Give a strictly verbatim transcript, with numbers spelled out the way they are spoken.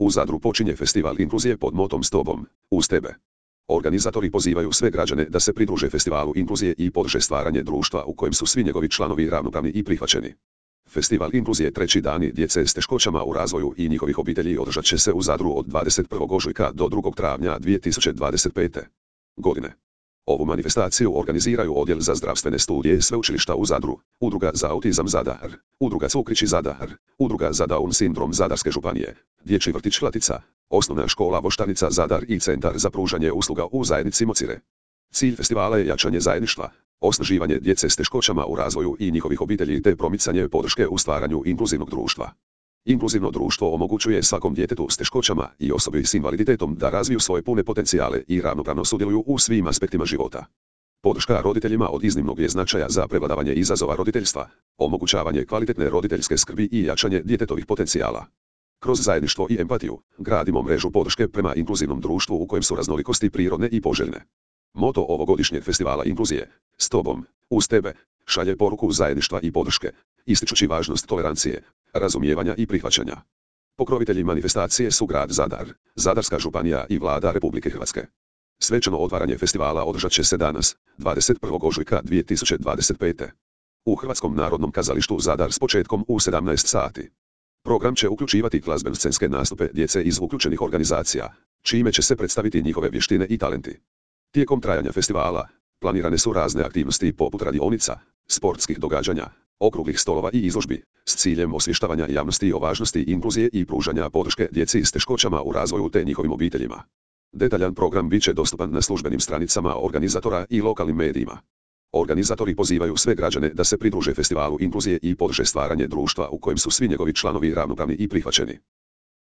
U Zadru počinje festival inkluzije pod motom S tobom, uz tebe. Organizatori pozivaju sve građane da se pridruže festivalu inkluzije i podrže stvaranje društva u kojem su svi njegovi članovi ravnopravni i prihvaćeni. Festival inkluzije treći dani djece s teškoćama u razvoju i njihovih obitelji održat će se u Zadru od dvadeset prvog ožujka do drugog travnja dvije tisuće dvadeset pete. godine. Ovu manifestaciju organiziraju Odjel za zdravstvene studije Sveučilišta u Zadru, Udruga za autizam Zadar, Udruga Cukrići Zadar, Udruga za Down sindrom Zadarske županije, Dječji vrtić Latica, Osnovna škola Voštanica Zadar i Centar za pružanje usluga u zajednici Mocire. Cilj festivala je jačanje zajedništva, osnaživanje djece s teškoćama u razvoju i njihovih obitelji te promicanje podrške u stvaranju inkluzivnog društva. Inkluzivno društvo omogućuje svakom djetetu s teškoćama i osobi s invaliditetom da razviju svoje pune potencijale i ravnopravno sudjeluju u svim aspektima života. Podrška roditeljima od iznimnog je značaja za prevladavanje izazova roditeljstva, omogućavanje kvalitetne roditeljske skrbi i jačanje djetetovih potencijala. Kroz zajedništvo i empatiju, gradimo mrežu podrške prema inkluzivnom društvu u kojem su raznolikosti prirodne i poželjne. Moto ovogodišnjeg festivala inkluzije, S tobom, uz tebe, šalje poruku zajedništva i podrške, ističući važnost tolerancije, razumijevanja i prihvaćanja. Pokrovitelji manifestacije su grad Zadar, Zadarska županija i Vlada Republike Hrvatske. Svečano otvaranje festivala održat će se danas, dvadeset prvog ožujka dvije tisuće dvadeset pete. u Hrvatskom narodnom kazalištu Zadar s početkom u sedamnaest sati. Program će uključivati glazbeno-scenske nastupe djece iz uključenih organizacija, čime će se predstaviti njihove vještine i talenti. Tijekom trajanja festivala, planirane su razne aktivnosti poput radionica, sportskih događanja, okruglih stolova i izložbi, s ciljem osvještavanja javnosti o važnosti inkluzije i pružanja podrške djeci s teškoćama u razvoju te njihovim obiteljima. Detaljan program bit će dostupan na službenim stranicama organizatora i lokalnim medijima. Organizatori pozivaju sve građane da se pridruže festivalu inkluzije i podrže stvaranje društva u kojem su svi njegovi članovi ravnopravni i prihvaćeni.